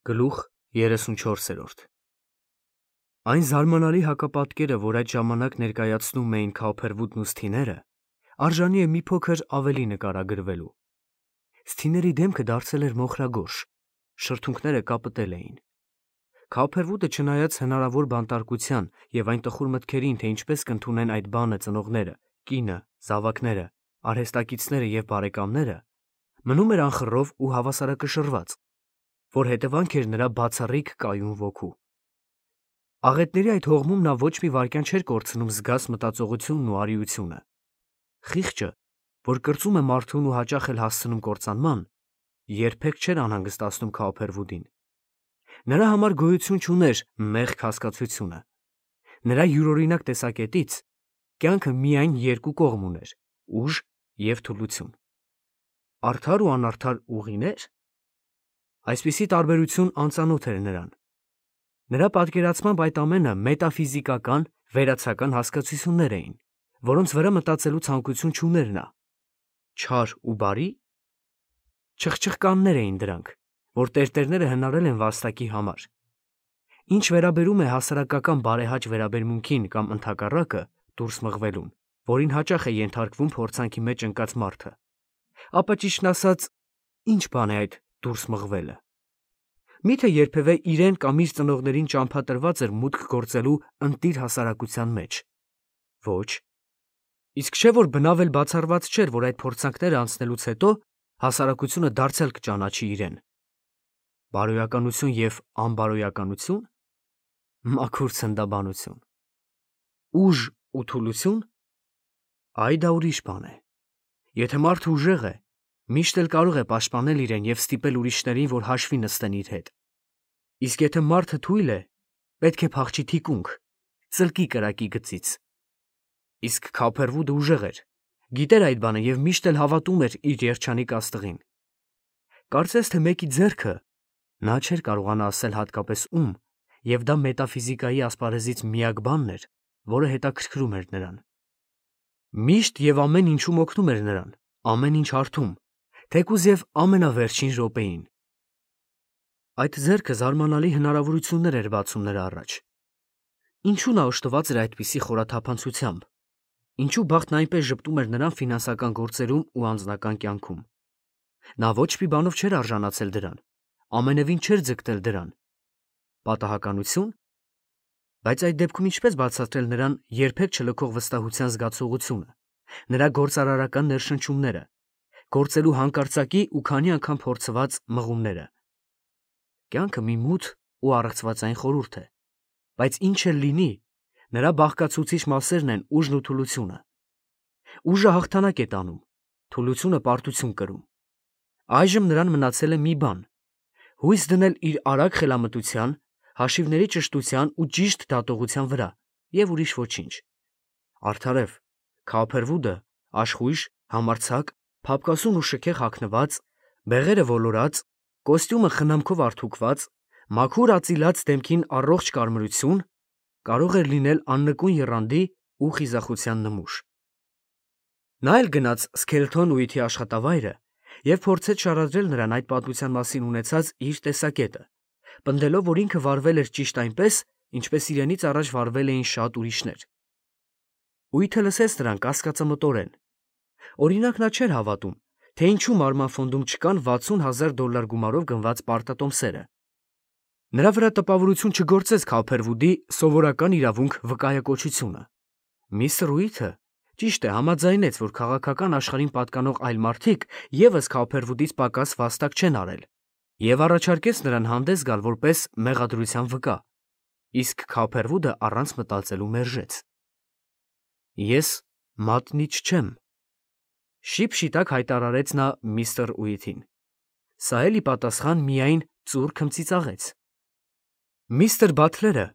Գլուխ 34 Այն զարմանալի հակապատկերը, որ այդ ժամանակ ներկայացնում էին Քաուփերվուդն ու Սթիները, արժանի է մի փոքր ավելի նկարագրվելու։ Սթիների դեմքը դարձել էր մոխրագորշ, շրթունքները կապտել էին։ Քաուփերվուդը, չնայած հնարավոր բանտարկության եւ այն տխուր մտքերին, թե ինչպես կընդունեն այդ բանը ծնողները, կինը, զավակները, արհեստակիցները եւ բարեկամները, մնում էր անխռով ու հավասարակշռված, որ հետևանք էր նրա բացառիկ կայուն ոգու։ Աղետների այդ հողմում նա ոչ մի վայրկյան չէր կորցնում զգաս մտածողությունն ու արիությունը։ Խիղճը, որ կրծում է մարդուն ու հաճախ էլ հասցնում կործանման, երբեք չէր անհանգստացնում Քաուփերվուդին։ Նրա համար գոյություն չուներ մեղք հասկացությունը։ Նրա յուրօրինակ տեսակետից կյանքը միայն երկու կողմ ուներ՝ ուժ և թուլություն։ Արդար ու անարդար ուղիներ։ Այսպիսի տարբերություն անծանոթ էր նրան։ Նրա պատկերացմամբ այդ ամենը մետաֆիզիկական, վերացական հասկացություններ էին, որոնց վրա մտածելու ցանկություն չուներ նա։ Չար ու բարի։ Չխչխկաններ էին դրանք, որ տերտերները հնարել են վաստակի համար։ Ինչ վերաբերում է հասարակական բարեհաճ վերաբերմունքին կամ ընդհակառակը դուրս մղվելուն, որին հաճախ է ենթարկվում փորձանքի մեջ ընկած մարդը, ապա ճիշտն ասած, ինչ բան է այդ դուրս մղվելը։ Միթե երբևէ իրեն կամ իր ծնողներին ճամփատրված էր մուտք գործելու ընտիր հասարակության մեջ։ Ոչ։ Իսկ չէ՞ որ բնավ էլ բացառված չէր, որ այդ փորձանքները անցնելուց հետո հասարակությունը դարձյալ կճանաչի իրեն։ Բարոյականություն և անբարոյականություն։ Մաքուր ցնդաբանություն։ Ուժ ու թուլություն։ Այ դա ուրիշ բան է։ Եթե մարդը ուժեղ է, միշտ էլ կարող է պաշտպանել իրեն և ստիպել ուրիշներին, որ հաշվի նստեն իր հետ։ Իսկ եթե մարդը թույլ է, պետք է փախչի թիկունք, ծլկի կրակի գծից։ Իսկ Քաուփերվուդը ուժեղ էր, գիտեր այդ բանը և միշտ էլ հավատում էր իր երջանիկ աստղին։ Կարծես թե մեկի ձեռքը, նա չէր կարողանա ասել հատկապես ում, և դա մետաֆիզիկայի ասպարեզից միակ բանն էր, որը հետաքրքրում էր նրան։ Միշտ և ամեն ինչում օգնում էր նրան, ամեն ինչ հարթում, թեկուզ և ամենավերջին րոպեին։ Այդ ձեռքը զարմանալի հնարավորություններ էր բացում նրա առաջ։ Ինչու նա օժտված էր այդպիսի խորաթափանցությամբ։ Ինչու բախտն այնպես ժպտում էր նրան ֆինանսական գործերում ու անձնական կյանքում։ Նա ոչ մի բանով չէր արժանացել դրան, ամենևին չէր ձգտել դրան։ Պատահականությո՞ւն։ Բայց այդ դեպքում ինչպես բացատրել նրան երբեք չլքող վստահության զգացողությունը, նրա գործարարական ներշնչումները, գործելու հանկարծակի ու քանի անգամ փորձված մղումները։ Կյանքը մի մութ ու առեղծվածային խորհուրդ է, բայց ինչ էլ լինի, նրա բաղկացուցիչ մասերն են ուժն ու թուլությունը։ Ուժը հաղթանակ է տանում, թուլությունը պարտություն կրում։ Այժմ նրան մնացել է մի բան՝ հույս դնել իր արագ խելամտության, հաշիվների ճշտության ու ճիշտ դատողության վրա և ուրիշ ոչինչ։ Արդարև, Քաուփերվուդը աշխույժ, համարձակ, փափկասուն ու շքեղ հագնված, բեղերը ոլորած, կոստյումը խնամքով արթուքված, մաքուր ածիլած դեմքին առողջ կարմրություն, կարող էր լինել աննկուն եռանդի ու խիզախության նմուշ։ Նա էլ գնաց Սքելթոն Ուիթի աշխատավայրը և փորձեց շարադրել նրան այդ պատմության մասին ունեցած իր տեսակետը, պնդելով, որ ինքը վարվել էր ճիշտ այնպես, ինչպես իրենից առաջ վարվել էին շատ ուրիշներ։ Ուիթը լսեց նրան կասկածամտորեն։ Օրինակ, նա չէր հավատում, թե ինչու Մարման Ֆոնդում չկան $60,000 գումարով գնված պարտատոմսերը։ Նրա վրա տպավորություն չգործեց Քաուփերվուդի սովորական իրավունք վկայակոչությունը։ Միսթր Ուիթը, ճիշտ է, համաձայնեց, որ քաղաքական աշխարհին պատկանող այլ մարդիկ ևս Քաուփերվուդից պակաս վաստակ չեն արել, և առաջարկեց նրան հանդես գալ որպես մեղադրության վկա, իսկ Քաուփերվուդը առանց մտածելու մերժեց։ Ես մատնիչ չեմ, շիպշիտակ հայտարարեց նա միսթր Ուիթին։ Սա էլ ի պատասխան միայն ծուռ քմծիծաղեց։ Միսթր Բաթլերը,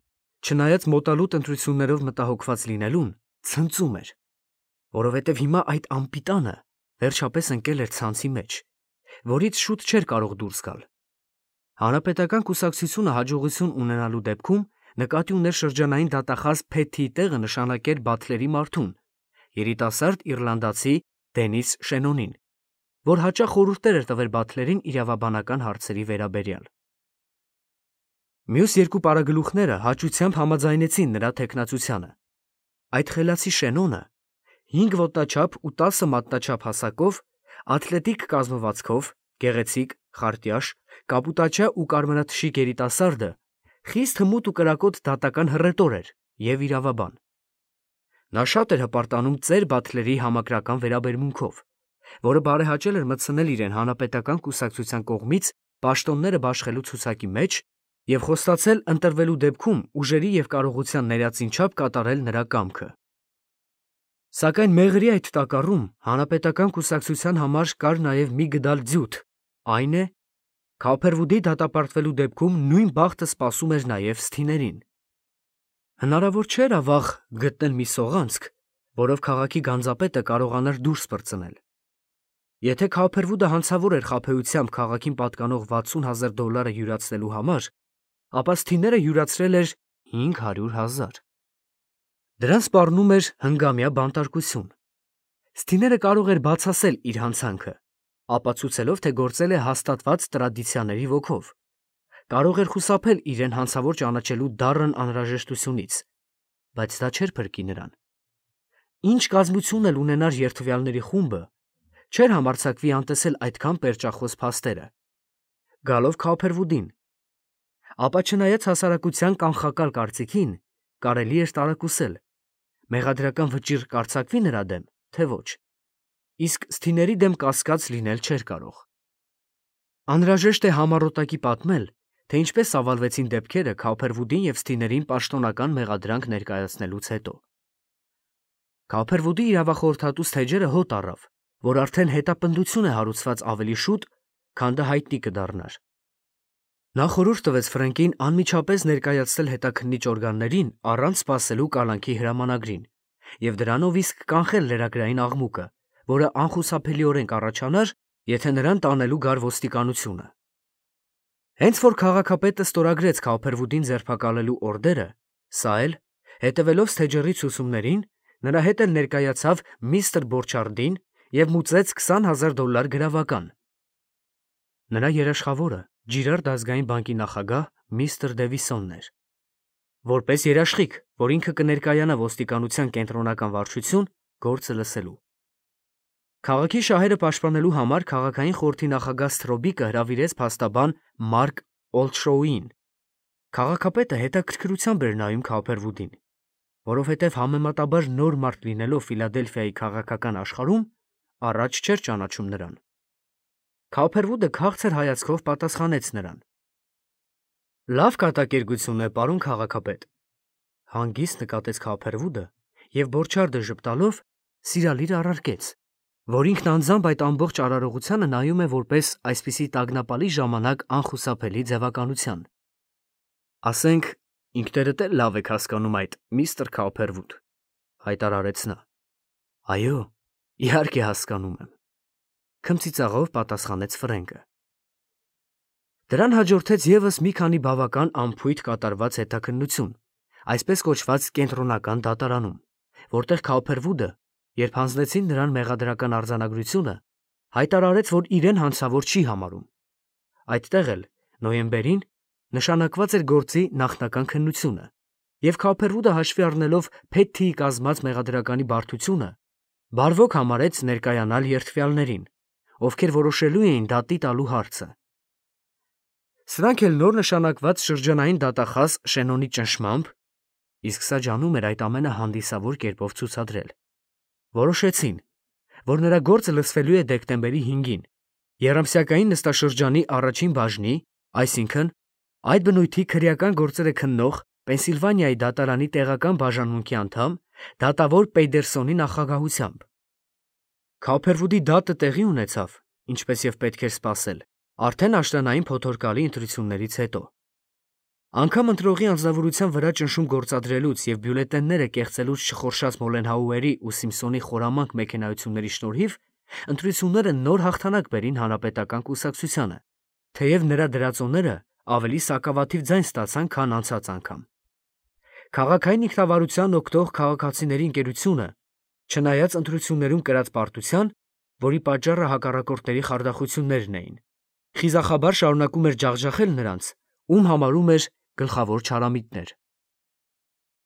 չնայած մոտալուտ ընտրություններով մտահոգված լինելուն, ցնծում էր, որովհետև հիմա այդ անպիտանը վերջապես ընկել էր ցանցի մեջ, որից շուտ չէր կարող դուրս գալ։ Հանրապետական կուսակցությունը հաջողություն ունենալու դեպքում նկատի ուներ շրջանային դատախազ Փեթիի տեղը նշանակեր Բաթլերի մարդուն, երիտասարդ իռլանդացի Դենիս Շենոնին, որ հաճախ խորհուրդներ էր տվել Բաթլերին իրավաբանական հարցերի վերաբերյալ։ Մյուս երկու պարագլուխները հաճությամբ համաձայնեցին նրա թեկնածությանը։ Այդ խելացի Շենոնը 5 ոտնաչափ ու 10 մատնաչափ հասակով, աթլետիկ կազմվածքով, գեղեցիկ, խարտյաշ, կապուտաչա ու կարմրաթշիկ երիտասարդը խիստ հմուտ ու կրակոտ դատական հռետոր էր և իրավաբան։ Նա շատ էր հպարտանում ծեր Բաթլերի համակրական վերաբերմունքով, որը բարեհաճել էր մտցնել իրեն հանրապետական կուսակցության կողմից պաշտոնները բաշխելու ցուցակի մեջ և խոստացել ընտրվելու դեպքում ուժերի և կարողության ներածին չափ կատարել նրա կամքը։ Սակայն մեղրի այդ տակառում հանրապետական կուսակցության համար կար նաև մի գդալ ձյութ, այն է, Քոփերվուդի դատապարտվելու դեպքում նույն բախտը սպասում էր նաև Սթիներին։ Հնարավոր չէր ավաղ գտնել մի սողանցք, որով քաղաքի գանձապետը կարողանար դուրս պրծնել։ Եթե Քոփերվուդը հանցավոր էր խաբեությամբ քաղաքին պատկանող $60,000 յուրացնելու համար, ապա Սթիները յուրացրել էր 500,000։ Դրան սպառնում էր հնգամյա բանտարկություն։ Սթիները կարող էր բացասել իր հանցանքը, ապացուցելով, թե գործել է հաստատված տրադիցիաների ոգով։ Կարող էր խուսափել իրեն հանցավոր ճանաչելու դառն անհրաժեշտությունից, բայց դա չէր փրկի նրան։ Ինչ կազմություն էլ ունենար երդվյալների խումբը, չէր համարձակվի անտեսել այդքան պերճախոս փաստերը։ Գալով Քոփերվուդին, ապա չնայած հասարակության կանխակալ կարծիքին, կարելի էր տարակուսել, մեղադրական վճիռ կարձակվի նրա դեմ, թե ոչ, իսկ Սթիների դեմ կասկած լինել չէր կարող։ Անհրաժեշտ է համառոտակի պատմել, թե ինչպես ծավալվեցին դեպքերը Քոփերվուդին և Սթիներին պաշտոնական մեղադրանք ներկայացնելուց հետո։ Քոփերվուդի իրավախորհրդատու Սթեջերը հոտ առավ, որ արդեն հետապնդություն է հարուցված ավելի շուտ, քան դա հայտնի կդառնար։ Նա խորհուրդ տվեց Ֆրենկին անմիջապես ներկայացնել հետաքննիչ օրգաններին առանց սպասելու կալանքի հրամանագրին և դրանով իսկ կանխել լրագրային աղմուկը, որը անխուսափելիորեն կառաջանար, եթե նրան տանելու գար ոստիկանությունը։ Հենց որ քաղաքապետը ստորագրեց Քոփերվուդին ձերբակալելու օրդերը, սա էլ, հետևելով Սթեջերի ցուցումներին, նրա հետ էլ ներկայացավ միստր Բորչարդին և մուծեց $20,000 գրավական։ Նրա երաշխավորը Ջիրարդ ազգային բանկի նախագահ միստր Դևիսոնն էր։ Որպես երաշխիք, որ ինքը կներկայանա ոստիկանության կենտրոնական վարչություն, գործը լսելու։ Քաղաքի շահերը պաշտպանելու համար քաղաքային խորհրդի նախագահ Սթրոբիկը հրավիրեց փաստաբան Մարկ Օլդշոուին։ Քաղաքապետը հետաքրքրությամբ էր նայում Քոփերվուդին, որովհետև համեմատաբար նոր մարդ լինելով Ֆիլադելֆիայի քաղաքական աշխարհում, առաջ չէր ճանաչում նրան։ Քոփերվուդը քաղցր հայացքով պատասխանեց նրան։ Լավ կատակերգություն է, պարոն քաղաքապետ, հանգիստ նկատեց Քոփերվուդը և Բորչարդը ժպտալով սիրալիր առարկեց, որ ինքն անձամբ այդ ամբողջ արարողությանը նայում է որպես այսպիսի տագնապալի ժամանակ անխուսափելի ձևականության։ Ասենք, ինքներդ էլ լավ եք հասկանում այդ, միստր Քոփերվուդ, հայտարարեց նա։ Այո, իհարկե հասկանում եմ, քմծիծաղով պատասխանեց Ֆրենկը։ Դրան հաջորդեց ևս մի քանի բավական անփույթ կատարված հետաքննություն, այսպես կոչված կենտրոնական դատարանում, որտեղ Քոփերվուդը, երբ հանձնեցին նրան մեղադրական արձանագրությունը, հայտարարեց, որ իրեն հանցավոր չի համարում։ Այդտեղ էլ, նոյեմբերին, նշանակված էր գործի նախնական քննությունը, և Քոփերվուդը հաշվի առնելով Փեթթիի կազմած մեղադրականի բարդությունը, բարվոք համարեց ներկայանալ երդվյալներին, ովքեր որոշելու էին դատի տալու հարցը։ Սրանք էլ նոր նշանակված շրջանային դատախազ Շենոնի ճնշմամբ, իսկ սա ջանում էր այդ ամենը հանդիսավոր կերպով ցուցադրել, որոշեցին, որ նրա գործը լսվելու է դեկտեմբերի 5-ին, Եռամսյակային նստաշրջանի առաջին բաժնի, այսինքն այդ բնույթի քրեական գործերը քննող Պենսիլվանիայի դատարանի տեղական բաժանմունքի անդամ դատավոր Պեյդերսոնի նախագահությամբ։ Քոփերվուդի դատը տեղի ունեցավ, ինչպես և պետք էր սպասել, արդեն աշնանային փոթորկալի ընտրություններից հետո։ Անգամ ընտրողի անձնավորության վրա ճնշում գործադրելուց և բյուլետենները կեղծելուց չխորշած Մոլենհաուերի ու Սիմփսոնի խորամանկ մեքենայությունների շնորհիվ ընտրությունները նոր հաղթանակ բերին հանրապետական կուսակցությանը, թեև նրա դրածոները ավելի սակավաթիվ ձայն ստացան, քան անցած անգամ։ Քաղաքային ինքնավարության օգտող քաղաքացիների ընկերությունը, չնայած ընտրություններում կրած պարտության, որի պատճառը հակառակորդների խարդախություններն էին, խիզախաբար շարունակում էր ջախջախել նրանց, ում համարում էր գլխավոր չարամիտներ։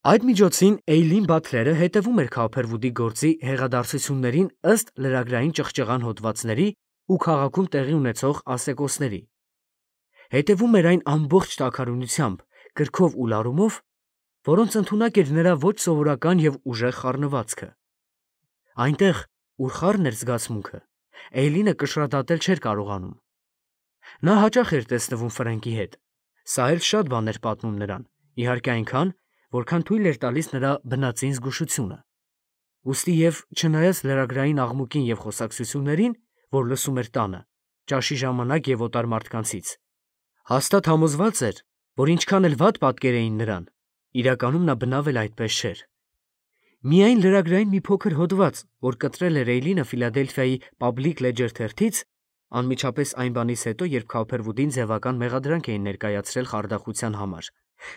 Այդ միջոցին Էյլին Բաթլերը հետևում էր Քոփերվուդի գործի հեղադարձություններին ըստ լրագրային ճղճղան հոդվածների ու քաղաքում տեղի ունեցող ասեկոսների։ Հետևում էր այն ամբողջ տաքարյունությամբ, գրքով ու լարումով, որոնց ընդունակ էր նրա ոչ սովորական և ուժեղ խառնվածքը։ Այնտեղ, ուր խառն էր զգացմունքը, Էյլինը կշռադատել չէր կարողանում։ Նա հաճախ էր տեսնվում Ֆրենկի հետ, սա էլ շատ բան էր պատմում նրան, իհարկե այնքան, որքան թույլ էր տալիս նրա բնածին զգուշությունը։ Ուստի և չնայած լրագրային աղմուկին և խոսակցություններին, որ լսում էր տանը, ճաշի ժամանակ և օտար մարդկանցից, հաստատ համոզված էր, որ ինչքան էլ վատ պատկերեին նրան, իրականում նա բնավ էլ այդպես չէր։ Միայն լրագրային մի փոքր հոդված, որ կտրել էր Էյլինը Ֆիլադելֆիայի Public Ledger թերթից, անմիջապես այն բանից հետո, երբ Քոփերվուդին ձևական մեղադրանք էին ներկայացրել խարդախության համար,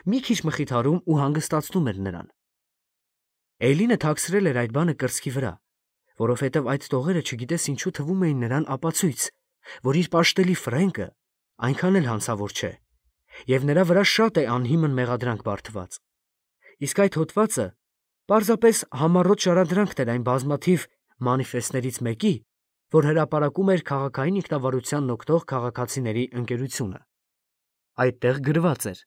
մի քիչ մխիթարում ու հանգստացնում էր նրան։ Էյլինը թաքցրել էր այդ բանը կրծքի վրա, որովհետև այդ տողերը չգիտես ինչու թվում էին նրան ապացույց, որ իր պաշտելի Ֆրենկը այնքան էլ հանցավոր չէ, և նրա վրա շատ է անհիմն մեղադրանք բարդված։ Իսկ այդ հոդվածը պարզապես համառոտ շարադրանքն էր այն բազմաթիվ մանիֆեստներից մեկի, որ հրապարակում էր քաղաքային ինքնավարությանն օգտող քաղաքացիների ընկերությունը։ Այդտեղ գրված էր.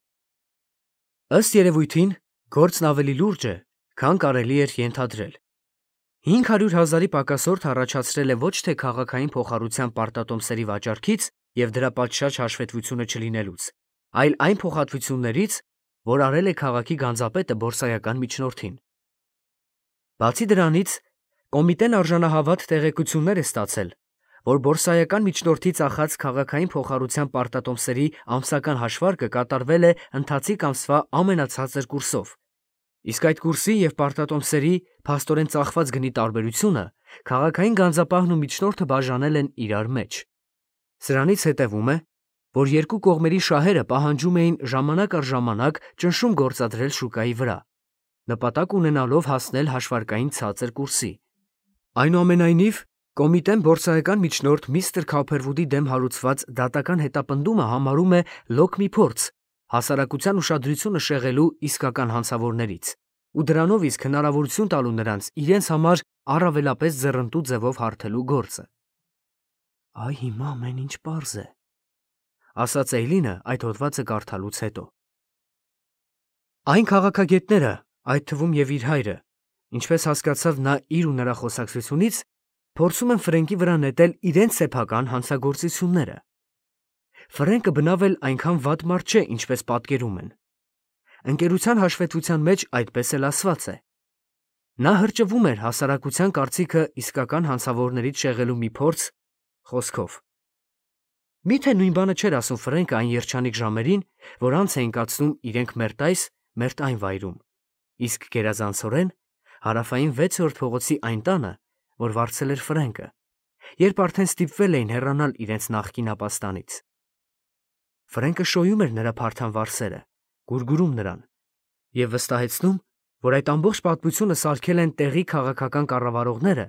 ըստ երևույթին, գործն ավելի լուրջ է, քան կարելի էր ենթադրել։ 500,000-ի պակասորդ առաջացրել է ոչ թե քաղաքային փոխառության պարտատոմսերի վաճառքից և դրա պատշաճ հաշվետվությունը չլինելուց, այլ այն փոխհատվություններից, որ արել է քաղաքի գանձապետը բորսայական միջնորդին։ Բացի դրանից, կոմիտեն արժանահավատ տեղեկություններ է ստացել, որ բորսայական միջնորդի ծախած քաղաքային փոխառության պարտատոմսերի ամսական հաշվարկը կատարվել է ընթացիկ ամսվա ամենացածր կուրսով, իսկ այդ կուրսի և պարտատոմսերի փաստորեն ծախված գնի տարբերությունը քաղաքային գանձապահն ու միջնորդը բաժանել են իրար մեջ։ Սրանից հետևում է, որ երկու կողմերի շահերը պահանջում էին ժամանակ առ ժամանակ ճնշում գործադրել շուկայի վրա, նպատակ ունենալով հասնել հաշվարկային ցածր կուրսի։ Այնուամենայնիվ, կոմիտեն բորսայական միջնորդ միստր Քոփերվուդի դեմ հարուցված դատական հետապնդումը համարում է լոկ մի փորձ հասարակության ուշադրությունը շեղելու իսկական հանցավորներից ու դրանով իսկ հնարավորություն տալու նրանց իրենց համար առավելապես ձեռնտու ձևով հարթելու գործը։ «Այ հիմա ամեն ինչ պարզ է», ասաց Էյլինը այդ հոդվածը կարդալուց հետո։ Այն քաղաքագետները, այդ թվում և իր հայրը, ինչպես հասկացավ նա իր ու նրա խոսակցությունից, փորձում են Ֆրենկի վրա նետել իրենց սեփական հանցագործությունները։ Ֆրենկը բնավ էլ այնքան վատ մարդ չէ, ինչպես պատկերում են։ Ընկերության հաշվետվության մեջ այդպես էլ ասված է։ Նա հրճվում էր հասարակության կարծիքը իսկական հանցավորներից շեղելու մի փորձ խոսքով։ Միթե նույն բանը չէր ասում Ֆրենկը այն երջանիկ ժամերին, որ անց էին կացնում իրենք մերթ այս, մերթ այն վայրում, իսկ գերազանցորեն հարավային 6-րդ փողոցի այն տանը, որ վարձել էր Ֆրենկը, երբ արդեն ստիպվել էին հեռանալ իրենց նախկին ապաստանից։ Ֆրենկը շոյում էր նրա փարթամ վարսերը, գուրգուրում նրան և վստահեցնում, որ այդ ամբողջ պատմությունը սարքել են տեղի քաղաքական կառավարողները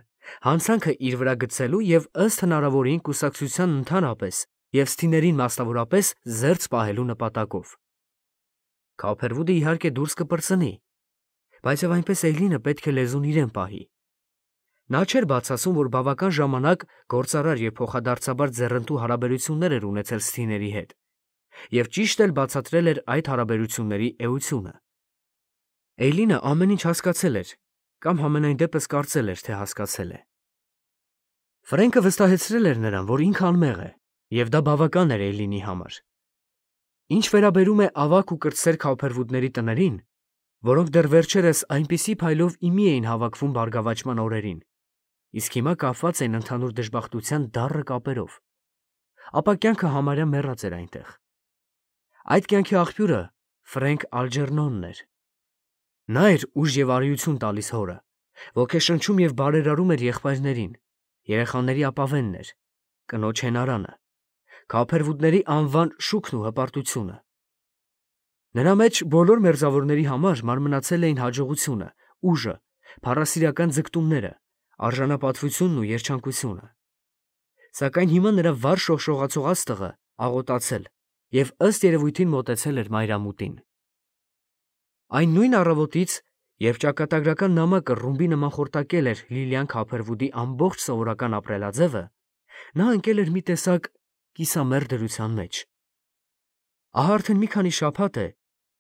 հանցանքը իր վրա գցելու և ըստ հնարավորին կուսակցության ընդհանրապես և սթիներին մասնավորապես զերծ պահելու նպատակով։ Քոփերվուդը իհարկե դուրս կպրծնի, բայց և այնպես Էյլինը պետք է լեզուն իրեն պահի։ Նա չէր բաց ասում, որ բավական ժամանակ գործարար և փոխադարձաբար ձեռնտու հարաբերություններ էր ունեցել սթիների հետ, և ճիշտ էլ բացատրել էր այդ հարաբերությունների էությունը։ Էյլինը ամեն ինչ հասկացել էր, կամ համենայն դեպս կարծել էր, թե հասկացել է։ Ֆրենկը վստահեցրել էր նրան, որ ինքը անմեղ է, և դա բավական էր Էյլինի համար։ Ինչ վերաբերում է ավագ ու կրտսեր Քոփերվուդների տներին, որոնք դեռ վերջերս այնպիսի փայլով ի մի էին հավաքվում բարգավաճման օրերին, իսկ հիմա կապված էին ընդհանուր դժբախտության դառը կապերով, ապա կյանքը համարյա մեռած էր այնտեղ։ Այդ կյանքի աղբյուրը Ֆրենկ Ալջերնոնն էր։ Նա էր ուժ և արիություն տալիս հորը, ոգեշնչում և բարերարում էր եղբայրներին, երեխաների ապավենն էր, կնոջ հենարանը, Քոփերվուդների անվան շուքն ու հպարտությունը։ Նրա մեջ բոլոր մերձավորների համար մարմնացել էին հաջողությունը, ուժը, փառասիրական ձգտումները, արժանապատվությունն ու երջանկությունը։ Սակայն հիմա նրա վառ շողշողացող աստղը աղոտացել և ըստ երևույթին մոտեցել էր մայրամուտին։ Այն նույն առավոտից, երբ ճակատագրական նամակը ռումբի նման խորտակել էր Լիլիան Քափերվուդի ամբողջ սովորական ապրելաձևը, նա ընկել էր մի տեսակ կիսամեռ դրության մեջ։ Ահա արդեն մի քանի շաբաթ է,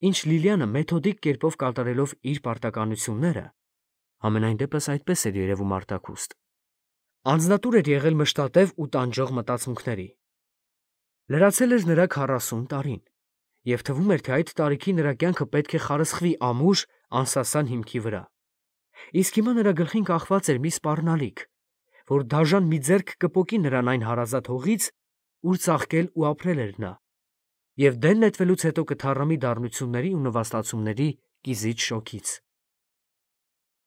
ինչ Լիլիանը մեթոդիկ կերպով կատարելով իր պարտականությունները, համենայն դեպս այդպես էր երևում արտաքուստ, անձնատուր էր եղել մշտատև ու տանջող մտածմունքների։ Լրացել էր նրա 40 տարին, և թվում էր, թե այդ տարիքի նրա կյանքը պետք է խարսխվի ամուր, անսասան հիմքի վրա։ Իսկ հիմա նրա գլխին կախված էր մի սպառնալիք, որ դաժան մի ձեռք կպոկի նրան այն հարազատ հողից, ուր ծաղկել ու ապրել էր նա, և դեն նետվելուց հետո կթառամի դառնությունների ու նվաստացումների կիզիչ շոգից։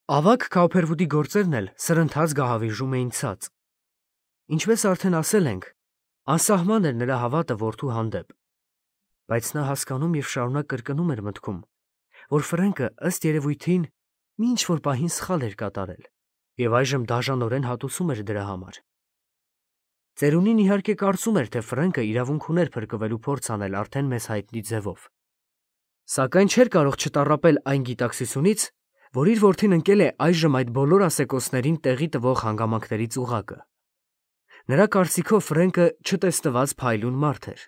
Ավագ Քափերվուդի գործերն էլ սրընթաց գահավիժում էին ցած։ Ինչպես արդեն ասել ենք, անսահման էր նրա հավատը որդու հանդեպ, բայց նա հասկանում և շարունակ կրկնում էր մտքում, որ Ֆրենկը ըստ երևույթին մի ինչ-որ պահին սխալ էր կատարել, և այժմ դաժանորեն հատուցում էր դրա համար։ Ծերունին իհարկե կարծում էր, թե Ֆրենկը իրավունք ուներ փրկվելու փորձ անել արդեն մեզ հայտնի ձևով, սակայն չէր կարող չտառապել այն գիտակցությունից, որ իր որդին ընկել է այժմ այդ բոլոր ասեկոսներին տեղի տվող հանգամանքների ծուղակը։ Նրա կարծիքով Ֆրենկը չտեսնված փայլուն մարդ էր։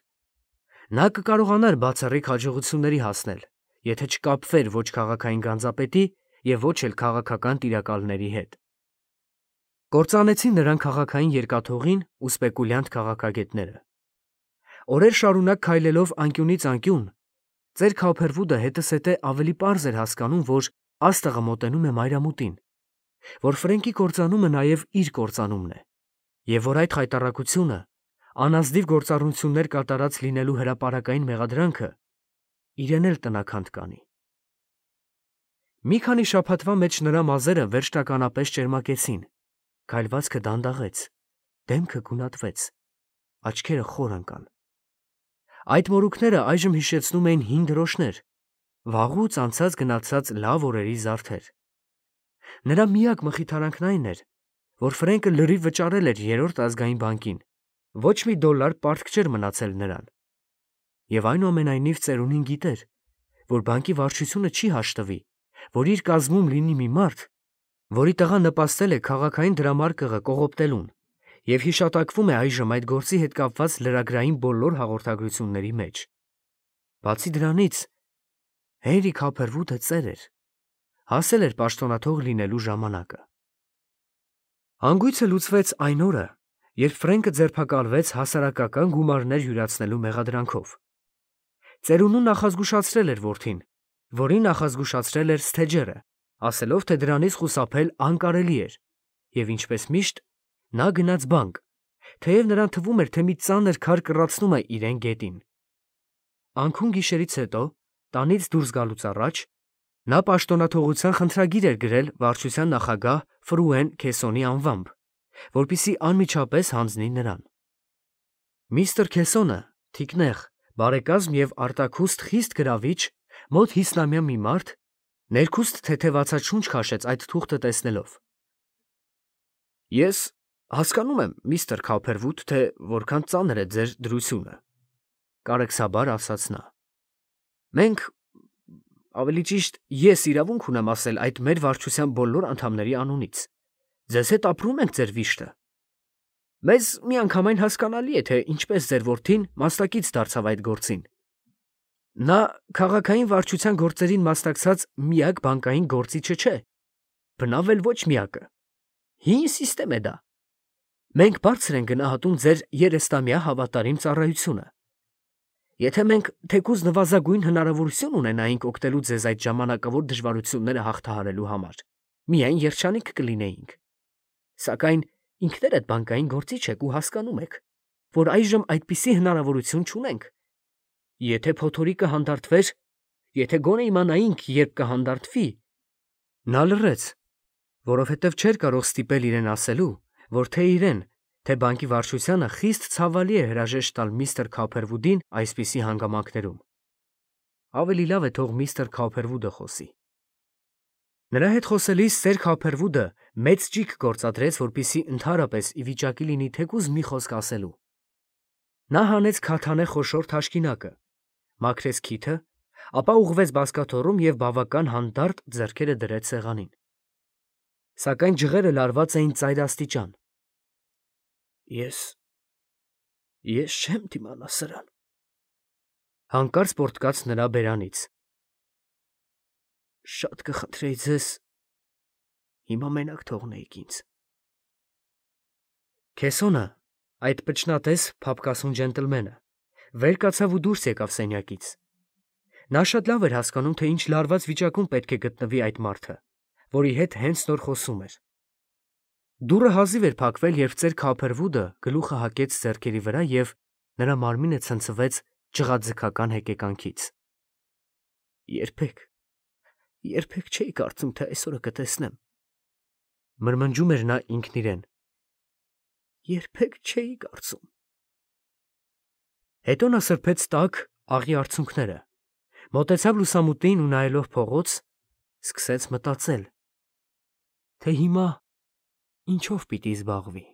Նա կկարողանար բացառիկ հաջողությունների հասնել, եթե չկապվեր ոչ քաղաքային գանձապետի և ոչ էլ քաղաքական տիրակալների հետ։ Կործանեցին նրան քաղաքային երկաթուղին ու սպեկուլյանտ քաղաքագետները։ Օրեր շարունակ քայլելով անկյունից անկյուն, ծեր Քափերվուդը հետզհետե ավելի պարզ էր հասկանում, որ աստղը մոտենում է մայրամուտին, որ Ֆրենկի կործանումը նաև իր կործանումն է, և որ այդ խայտառակությունը, անազնիվ գործառնություններ կատարած լինելու հրապարակային մեղադրանքը իրեն էլ տնաքանդ կանի։ Մի քանի շաբաթվա մեջ նրա մազերը վերջնականապես ճերմակեցին, քայլվածքը դանդաղեց, դեմքը գունատվեց, աչքերը խոր ընկան։ Այդ մորուքները այժմ հիշեցնում էին հին դրոշներ, վաղուց անցած գնացած լավ օրերի զարդեր։ Նրա միակ մխիթարանքն այն էր, որ Ֆրենկը լրիվ վճարել էր Երրորդ ազգային բանկին, ոչ մի դոլար պարտք չէր մնացել նրան։ Եվ այնուամենայնիվ ծերունին գիտեր, որ բանկի վարչությունը չի հաշտվի, որ իր կազմում լինի մի մարդ, որի տղան նպաստել է քաղաքային դրամարկղը կողոպտելուն և հիշատակվում է այժմ այդ գործի հետ կապված լրագրային բոլոր հաղորդագրությունների մեջ։ Բացի դրանից, Հենրի Քափերվուդը ծեր էր, հասել էր պաշտոնաթող լինելու ժամանակը։ Հանգույցը լուծվեց այն օրը, երբ Ֆրենկը ձերբակալվեց հասարակական գումարներ յուրացնելու մեղադրանքով։ Ծերունուն նախազգուշացրել էր որդին, որին նախազգուշացրել էր Սթեջերը, ասելով, թե դրանից խուսափել անկարելի էր, և ինչպես միշտ, նա գնաց բանկ, թեև նրան թվում էր, թե մի ծանր քար կռացնում է իրեն գետին։ Անքուն գիշերից հետո, տանից դուրս գալուց առաջ, նա պաշտոնաթողության խնդրագիր էր գրել վարչության նախագահ Ֆրուեն Քեսոնի անվամբ, որպեսզի անմիջապես հանձնի նրան։ Միստր Քեսոնը, թիկնեղ, բարեկազմ և արտաքուստ խիստ գրավիչ, մոտ 50-ամյա մի մարդ, ներքուստ թեթևացած շունչ քաշեց այդ թուղթը տեսնելով։ Ես հասկանում եմ, միստր Քափերվուդ, թե որքան ծանր է ձեր դրությունը, կարեկցաբար ասաց նա։ Մենք, ավելի ճիշտ, ես իրավունք ունեմ ասել այդ մեր վարչության բոլոր անդամների անունից։ Ձեզ հետ ապրում ենք ձեր վիշտը։ Մեզ միանգամայն հասկանալի է, թե ինչպես ձեր որդին մասնակից դարձավ այդ գործին։ Նա քաղաքային վարչության գործերին մասնակցած միակ բանկային գործիչը չէ, բնավ էլ ոչ միակը։ Հին սիստեմ է դա։ Մենք բարձր ենք գնահատում ձեր 30-ամյա հավատարիմ ծառայությունը։ Եթե մենք թեկուզ նվազագույն հնարավորություն ունենայինք օգտելու ձեզ այդ ժամանակավոր դժվարությունները հաղթահարելու համար, միայն երջանիկ կլինեինք։ Սակայն ինքներդ բանկային գործիչ եք ու հասկանում եք, որ այժմ այդպիսի հնարավորություն չունենք։ Եթե փոթորիկը հանդարտվեր, եթե գոնե իմանայինք, երբ կհանդարտվի։ Նա լռեց, որովհետև չէր կարող ստիպել իրեն ասելու, որ թե իրեն, թե բանկի վարչությանը խիստ ցավալի է հրաժեշտ տալ միստր Քափերվուդին այսպիսի հանգամանքներում։ Ավելի լավ է թող միստր Քափերվուդը խոսի։ Նրա հետ խոսելիս սեր Քափերվուդը մեծ ճիգ գործադրեց, որպեսզի ընդհանրապես ի վիճակի լինի թեկուզ մի խոսք ասելու։ Նա հանեց քաթանե խոշոր թաշկինակը, մաքրեց քիթը, Ապա ուղղվեց բազկաթոռում և բավական հանդարտ ձեռքերը դրեց սեղանին։ Սակայն ջղերը լարված էին ծայրաստիճան։ Ես չեմ դիմանա սրան, հանկարծ պոռթկաց նրա բերանից։ Շատ կխնդրեի ձեզ հիմա մենակ թողնեիք ինձ։ Քեսոնը, այդ պճնատես փափկասուն ջենտլմենը, վեր կացավ ու դուրս եկավ սենյակից։ Նա շատ լավ էր հասկանում, թե ինչ լարված վիճակում պետք է գտնվի այդ մարդը, որի հետ հենց նոր խոսում էր։ Դուռը հազիվ էր փակվել, երբ ծեր Քափերվուդը գլուխը հակեց ձեռքերի վրա և նրա մարմինը ցնցվեց ջղաձգական հեկեկանքից։ Երբեք չէի կարծում, թե այսօրը կտեսնեմ, մրմնջում էր նա ինքն իրեն։ Երբեք չէի կարծում։ Հետո նա սրբեց տաք աղի արցունքները, մոտեցավ լուսամուտին ու նայելով փողոց, սկսեց մտածել, թե հիմա ինչով պիտի զբաղվի։